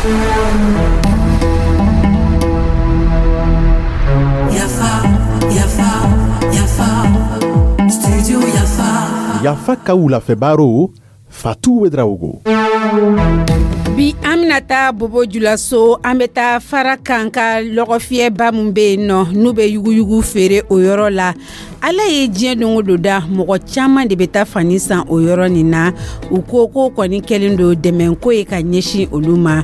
Yafa, yafa, yafa, studio Yafa. Yafa ka wulafɛ Fatou Ouédraogo. Bi, an bɛna taa Bobo Julaso. An bɛ taa fara kan ka lɔgɔfiyɛba min bɛ yen nɔ, n'u bɛ yuguyugu feere o yɔrɔ la. Ala ye diɲɛ don o don da, mɔgɔ caman de bɛ taa fani san o yɔrɔ nin na. U ko ko kɔni kɛlen don dɛmɛko ye ka ɲɛsin olu ma.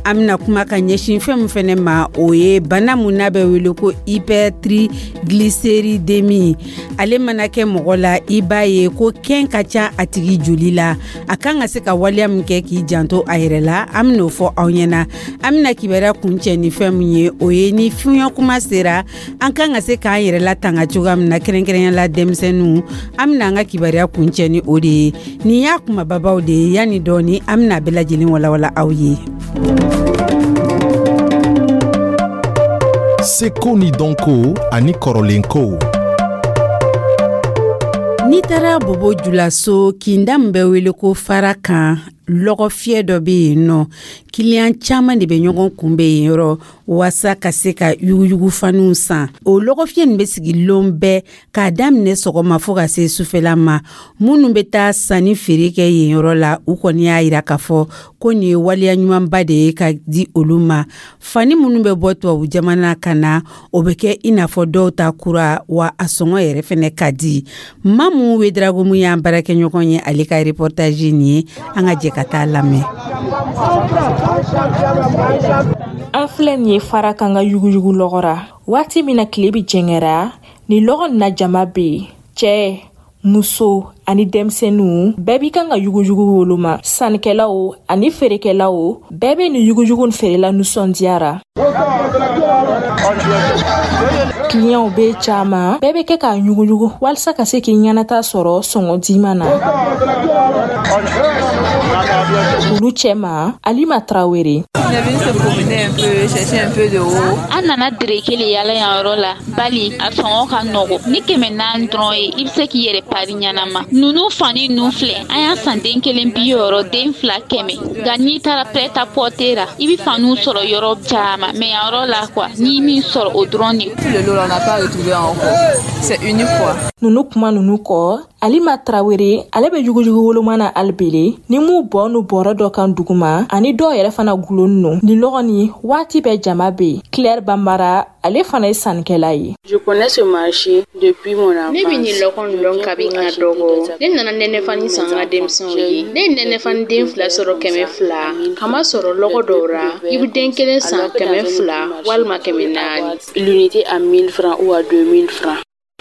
An bɛna kuma ka ɲɛsin fɛn min fɛnɛ ma, o ye bana mun n'a bɛ wele ko hypertriglycéridémie. Ale mana kɛ mɔgɔ la, i b'a ye ko kɛn ka ca a tigi joli la. A kan ka se ka waleya min kɛ k'i janto a yɛrɛ la, an ben'o fɔ aw ɲɛna. An bena kibaruya kuncɛ ni fɛn min ye, o ye ni fiɲɛ kuma sera, an kan ka se k'an yɛrɛ latanga cogoya min na, kɛrɛnkɛrɛnya la denmisɛnninw. An bena an ka kibaruya kuncɛ ni o de ye. Nin y'a kumababaw de ye. Yanni dɔɔni, an bena bɛɛ lajɛlen walawala aw ye. Seko ni dɔnko ani kɔrɔlenkow. N'i taara Bobo Julaso, kinda min bɛ wele ko fara kan, lɔgɔfiyɛ dɔ bɛ yen nɔ. Kiliyan caman de bɛ ɲɔgɔn kunbɛn yen yɔrɔ waasa ka se ka yuguyugufaniw san. O lɔgɔfiyɛ nin bɛ sigi lon bɛɛ, k'a daminɛ sɔgɔma fo ka se sufɛla ma. Minnu bɛ taa sanni feere kɛ yen yɔrɔ la, u kɔni y'a yira k'a fɔ ko nin ye waleya ɲumanba de ye ka di olu ma. Fani minnu bɛ bɔ tubabu jamana ka na, o bɛ kɛ i n'a fɔ dɔw ta kura wa, a sɔngɔ yɛrɛ fɛnɛ ka di. Mamu Wedrago mun y'an baarakɛɲɔgɔn ye, ale ka reportage nin ye. An ka jɛ ka taa lamɛn. An filɛ nin ye fara kan ka yuguyugu lɔgɔ ra. Waati min na tile bi jɛngɛra, ni lɔgɔ nin na jama bɛ yen, cɛɛ, muso ani denmisɛnninw bɛɛ b'i kan ka yuguyugu woloma. Sannikɛlaw ani feerekɛlaw bɛɛ bɛ nin yuguyugu nin feerela nisɔndiyara. Kiliyanw bɛ caman, bɛɛ bɛ kɛ k'a ɲuguyugu walisa ka se k'i ɲɛnata sɔrɔ sɔngɔ diman na. Olu cɛma, Alima Tarawele. An nana dereke le yala yan yɔrɔ la, bali a sɔngɔ ka nɔgɔ. Ni 400 dɔrɔn ye, i bɛ se k'i yɛrɛ pari ɲɛnama. Nunu fani nu filɛ, an y'a san den kelen 60, den fila 100. Nka n'i taara prêt à porter ra, i bɛ faniw sɔrɔ yɔrɔ caman, mais yan yɔrɔ la quoi, n'i min sɔrɔ, o dɔrɔn de. Nunu kuma nunu kɔ, Alima Tarawele, ale bɛ yuguyugu woloma na alibele ni mu bɔ nu bɔrɔ dɔ kan duguma ani dɔw yɛrɛ fana gulon nu ni lɔgɔ ni waati bɛɛ jama bɛ yen. Claire Banbara, ale fana ye sannikɛla ye. Ne bɛ nin lɔgɔ nin dɔn kabi n ka dɔgɔ. Ne nana nɛnɛfani san n ka denmisɛnw ye. Ne ye nɛnɛfani den fila sɔrɔ 200, kamasɔrɔ lɔgɔ dɔw ra, i bɛ den kelen san 200 walima 400.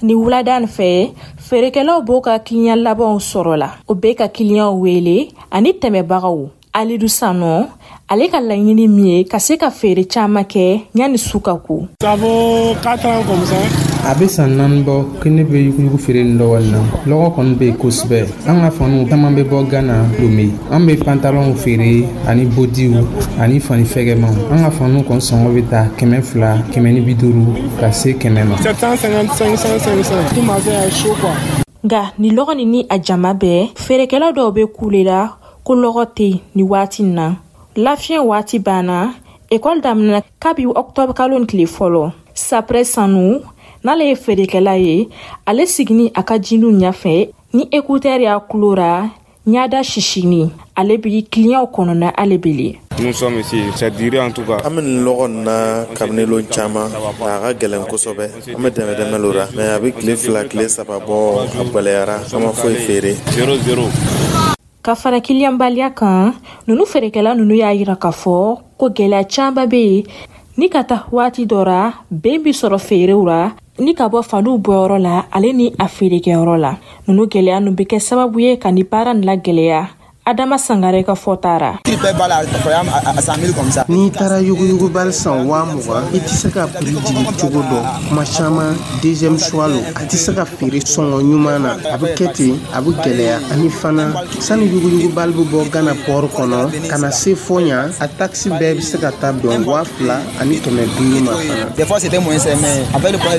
Ni wulada nin fɛ, feerekɛlaw b'o ka kiliyan labanw sɔrɔ la. O bɛ ka kiliyanw wele ani tɛmɛbagaw. Alidu Sanɔ, ale ka laɲini min ye ka se ka feere caman kɛ yanni su ka ko. A bɛ san 4 bɔ ko ne bɛ yuguyugu feere nin lɔgɔ na. Lɔgɔ kɔni bɛ yen kosɛbɛ. An ka faniw caman bɛ bɔ Gana, Lome. An bɛ pantalɔnw feere ani bodiw ani fani fɛgɛmanw. An ka faniw kɔni sɔngɔ bɛ ta 200, 150 ka se 100 ma. Nka ni lɔgɔ nin ni a jama bɛɛ, feerekɛla dɔw bɛ kule la ko lɔgɔ tɛ yen ni waati in na. Lafiɲɛ waati banna, ekɔli daminɛna kabi ɔkutɔburu kalo nin tile fɔlɔ. Saprɛ Sanu, n'ale ye feerekɛla ye, ale sigini a ka jiniw ɲɛfɛ ni écouteur y'a kulo ra, ɲada sisini, ale bi kiliyanw kɔnɔna ale bele. Nous sommes ici, c'est duré en tout cas. An bɛ nin lɔgɔ nin na kabini lon caman, a ka gɛlɛn kosɛbɛ. An bɛ dɛmɛ dɛmɛ lo ra, mais a bɛ tile 2, tile 3 bɔ, a gwɛlɛyara, an ma foyi feere. Zéro zéro. Ka fara kiliyanbaliya kan, nunu feerekɛla nunu y'a yira k'a fɔ ko gwɛlɛya caman bɛ yen ni ka taa waati dɔ ra, ben bi sɔrɔ feerew ra ni ka bɔ faniw bɔyɔrɔ la ale ni a feerekɛyɔrɔ la. Nunu gwɛlɛya nu bɛ kɛ sababu ye ka ni baara nin lagɛlɛya. Adama Sangare ka fɔta ra. N'i taara yuguyugubali san 20 000, i tɛ se ka prix jigin cogo dɔ. Kuma caman, deuxième choix lo, a tɛ se ka feere sɔngɔ ɲuman na. A bɛ kɛ ten, a bɛ gɛlɛya. Ani fana, sani yuguyugubali bɛ bɔ Gana port kɔnɔ ka na se fɔ yan, a taxe bɛɛ bɛ se ka taa bɛn 2500 ma fana.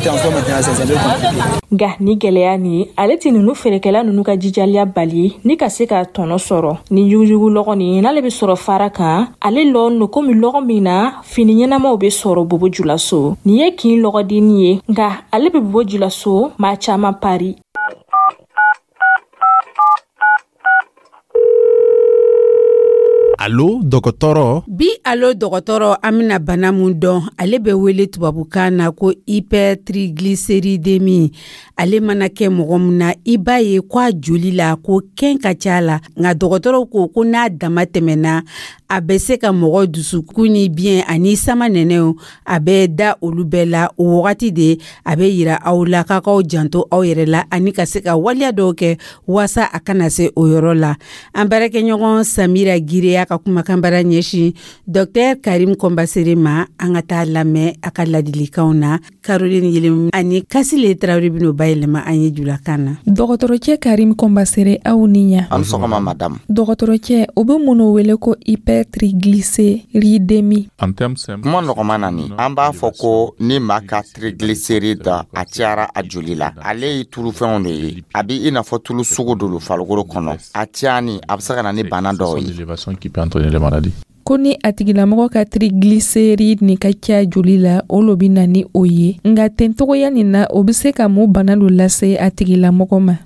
Nka ni gɛlɛya nin, ale tɛ nunu feerekɛla nunu ka jijaliya bali ni ka se ka tɔnɔ sɔrɔ. sɔrɔ. Ni yuguyugu lɔgɔ nin, n'ale bɛ sɔrɔ fara kan, ale lɔn no komi lɔgɔ min na fini ɲɛnamaw bɛ sɔrɔ Bobo Julaso. Nin ye kin lɔgɔdenni ye, nka ale bɛ Bobo Julaso maa caman pari. Alo dɔgɔtɔrɔ. Bi alo dɔgɔtɔrɔ, an bɛna bana mun dɔn, ale bɛ wele tubabukan na ko hypertriglycéridémie. Ale mana kɛ mɔgɔ min na, i b'a ye ko a joli la ko kɛn ka ca la. Nka dɔgɔtɔrɔw ko ko n'a dama tɛmɛna, a bɛ se ka mɔgɔ dusukun ni biyɛn ani sama nɛnɛw, a bɛ da olu bɛɛ la. O wagati de a bɛ yira aw la k'a k'aw janto aw yɛrɛ la ani ka se ka waleya dɔw kɛ waasa a kana se o yɔrɔ la. An baarakɛɲɔgɔn Samira Gireya ka kumakan bara ɲɛsin Dr Karim Kɔnbasere ma. An ka taa lamɛn a ka ladilikanw na. Caroline Yelem ani Kasile Tarawele bɛn'o bayɛlɛma an ye julakan na. Dɔgɔtɔrɔcɛ Karim Kɔnbasere, aw ni ɲa. An sɔgɔma madamu. Dɔgɔtɔrɔcɛ, o bɛ mun wele ko hypertriglycéridémie? Kuma nɔgɔman na nin, an b'a fɔ ko ni maa ka triglycéride a cayara a joli la, ale ye tulufɛnw de ye. A bɛ i n'a fɔ tulu sugu dɔ farikolo kɔnɔ. A cayani a bɛ se ka na ni bana dɔw ye. Ko ni a tigilamɔgɔ ka triglycéride nin ka ca joli la, o lo bɛ na ni o ye. Nka tencogoya nin na, o bɛ se ka mun bana dɔ lase a tigilamɔgɔ ma?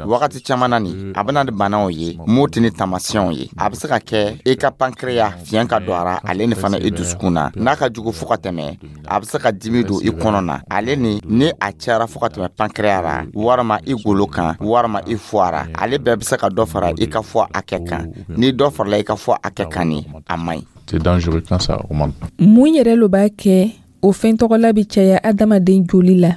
Wagati caman na nin, a bɛ na ni banaw ye mun tɛ ni taamasiyɛnw ye. A bɛ se ka kɛ i ka pancréas fiɲɛ ka don a ra, ale ni fana i dusukun na. N'a ka jugu fo ka tɛmɛ, a bɛ se ka dimi don i kɔnɔ na. Ale ni a cayara fo ka tɛmɛ pancréas ra, walima i golo kan, walima i foie ra, ale bɛɛ bɛ se ka dɔ fara i ka foie hakɛ kan. Ni dɔ farala i ka foie hakɛ kan nin, a man ɲi. Mun yɛrɛ lo b'a kɛ o fɛn tɔgɔla bɛ caya adamaden joli la?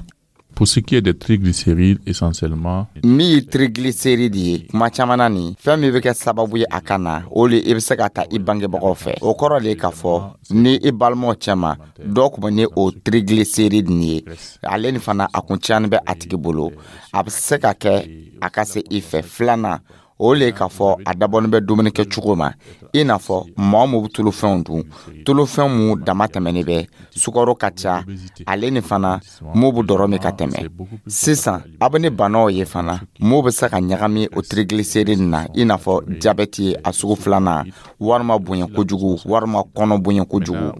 Pour ce qui est des triglycérides, essentiellement, min ye triglycéride ye, kuma caman na nin, fɛn min bɛ kɛ sababu ye a ka na, o le i bɛ se ka ta i bangebagaw fɛ. O kɔrɔ de ye k'a fɔ ni i balimaw cɛma dɔw tun bɛ ni o triglycéride nin ye, ale ni fana a kun cayani bɛ a tigi bolo, a bɛ se ka kɛ a ka se i fɛ. Filanan, o le k'a fɔ a dabɔnin bɛ dumuni kɛ cogo ma, i n'a fɔ maa mun bɛ tulufɛnw dun, tulufɛn mun dama tɛmɛnen bɛ, sukaro ka ca, ale ni fana mun bɛ dɔrɔ min ka tɛmɛ. Sisan a bɛ ni banaw ye fana mun bɛ se ka ɲagami o triglycéride na, i n'a fɔ jabɛti ye a sugu filanan, walima bonya kojugu, walima kɔnɔ bonya kojugu.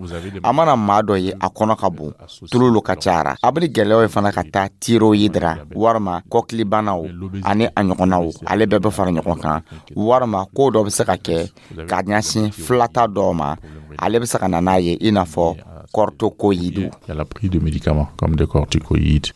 A mana maa dɔ ye a kɔnɔ ka bon, tulu lo ka cayara, a bɛ ni gɛlɛyaw ye fana ka taa thyroïde ra, walima kɔkilibanaw ani a ɲɔgɔnnaw, ale bɛɛ bɛ fara ɲɔgɔn kan, walima ko dɔ bɛ se ka kɛ ka ɲɛsin filata dɔw ma, ale bɛ se ka na n'a ye, i n'a fɔ corticoïdes.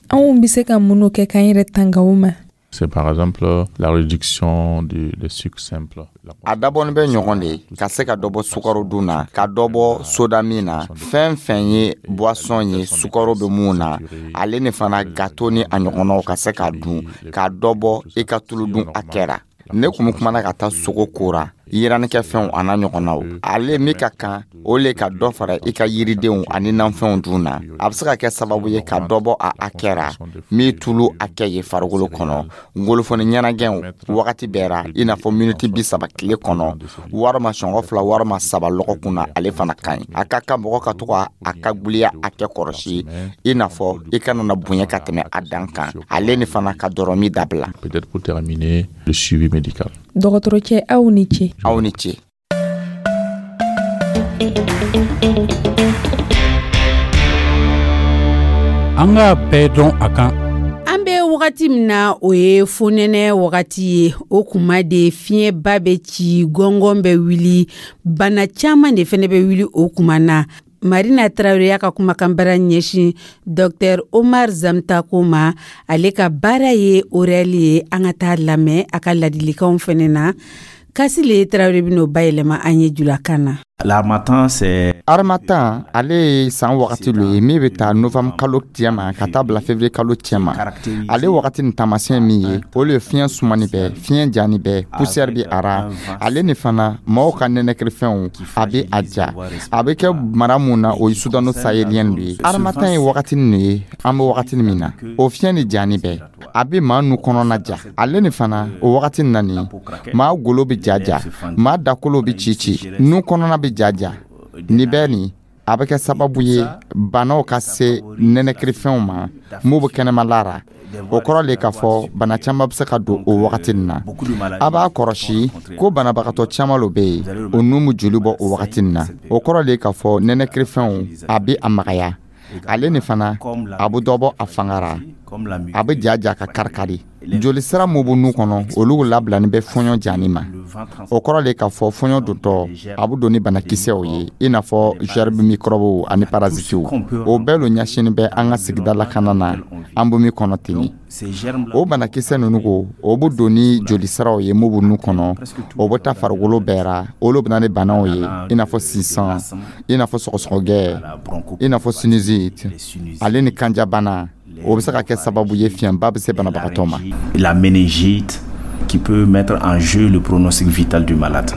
Anw bɛ se ka minnu kɛ k'an yɛrɛ tanga o ma? C'est par exemple la réduction des sucres simples. A dabɔnin bɛ ɲɔgɔn de ka se ka dɔ bɔ sukaro dun na, ka dɔ bɔ soda min na, fɛn fɛn ye boisson ye sukaro bɛ mun na, ale ni fana gâteau ni a ɲɔgɔnnaw ka se k'a dun, ka dɔ bɔ i ka tulu dun hakɛ ra. Ne kun kumana ka taa sogo kora, yiranikɛfɛnw a n'a ɲɔgɔnnaw, ale min ka kan o le ka dɔ fara i ka yiridenw ani nanfɛnw dun na. A bɛ se ka kɛ sababu ye ka dɔ bɔ a hakɛ ra min tulu hakɛ ye farikolo kɔnɔ. Ngolofoni ɲɛnagɛnw wagati bɛɛ ra, i n'a fɔ miniti 30 tile kɔnɔ, walima sɔngɔ 2 walima 3 lɔgɔkun na, ale fana ka ɲi. A ka kan mɔgɔ ka to ka a ka guliya hakɛ kɔlɔsi, i n'a fɔ i kana na bonya ka tɛmɛ a dan kan, ale ni fana ka dɔrɔmi dabila. Peut-être pour terminer, le suivi médical. Dɔgɔtɔrɔcɛ, aw ni ce. Aw ni ce. An k'a bɛɛ dɔn a kan. An bɛ wagati min na, o ye fonɛnɛ wagati ye. O kuma de fiɲɛba bɛ ci, gɔngɔn bɛ wuli, bana caman de fɛnɛ bɛ wuli o kuma na. Marina Traoré y'a ka kumakan bara ɲɛsin Dr Omar Zamtako ma. Ale ka baara ye orɛli ye. An ka taa lamɛn a ka ladilikanw fɛnɛ na. Kasile Traoré bɛn'o bayɛlɛma an ye julakan na. L'harmattan, c'est Harmattan, ale ye san wagati lo ye min bɛ taa novembre kalo tiɲɛ ka taa bila février kalo tiɲɛ ma. Ale wagati ni taamasiyɛn min ye, o le ye fiɲɛ sumani bɛɛ, fiɲɛ jani bɛɛ, poussière bɛ a ra. Ale ni fana maaw ka nɛnɛkirifɛnw a bɛ a ja. A bɛ kɛ mara mun na, o ye Sudano sahélien de ye. Harmattan ye wagati nin ye, an bɛ wagati min na, o fiɲɛ ni jani bɛɛ, a bɛ maa nu kɔnɔna ja. Ale ni fana o wagati nin na nin, maa golo bɛ ja ja, maa dakolo bɛ ci ci, nu kɔnɔna bɛ ja ja. Nin bɛɛ nin, a bɛ kɛ sababu ye banaw ka se nɛnɛkirifɛnw ma mun bɛ kɛnɛmala ra. O kɔrɔ le k'a fɔ bana caman bɛ se ka don o wagati nin na. A b'a kɔrɔsi ko banabagatɔ caman lo bɛ yen, o nun bɛ joli bɔ o wagati nin na. O kɔrɔ le k'a fɔ nɛnɛkirifɛnw a bɛ a magaya. Ale ni fana, a bɛ dɔ bɔ a fanga ra, a bɛ ja ja ka karikari. Joli sira min bɛ nun kɔnɔ, olu labilani bɛ fɔɲɔ jani ma. O kɔrɔ le k'a fɔ fɔɲɔ dontɔ, a bɛ don ni banakisɛw ye, i n'a fɔ gerbe, microbe ani parasitew. O bɛɛ lo ɲɛsinin bɛ an ka sigida lakana na an bɛ min kɔnɔ ten. O banakisɛ ninnu ko, o bɛ don ni joli siraw ye mun bɛ nun kɔnɔ, o bɛ taa farikolo bɛɛ ra. Olu bɛ na ni banaw ye, i n'a fɔ sisan, i n'a fɔ sɔgɔsɔgɔgɛ, i n'a fɔ sinusite, ale ni kanjabana. O bɛ se ka kɛ sababu ye fiɲɛba bɛ se banabagatɔ ma. La méningite qui peut mettre en jeu le pronostic vital du malade.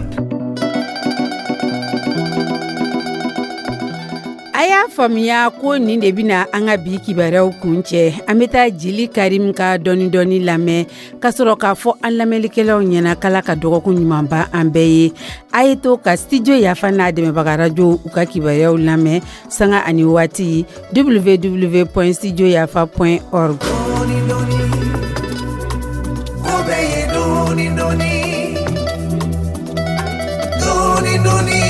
A y'a faamuya ko nin de bɛna an ka bi kibaruyaw kun cɛ. An bɛ taa Jeli Karim ka dɔɔni dɔɔni lamɛn ka sɔrɔ k'a fɔ an lamɛnlikɛlaw ɲɛna k'Ala ka dɔgɔkun ɲuman ban an bɛɛ ye. A ye to ka Studio Yafa n'a dɛmɛbaga radio u ka kibaruyaw lamɛn sanga ani waati www.studioyafa.org. Ko bɛɛ ye dɔɔni dɔɔni, dɔɔni dɔɔni.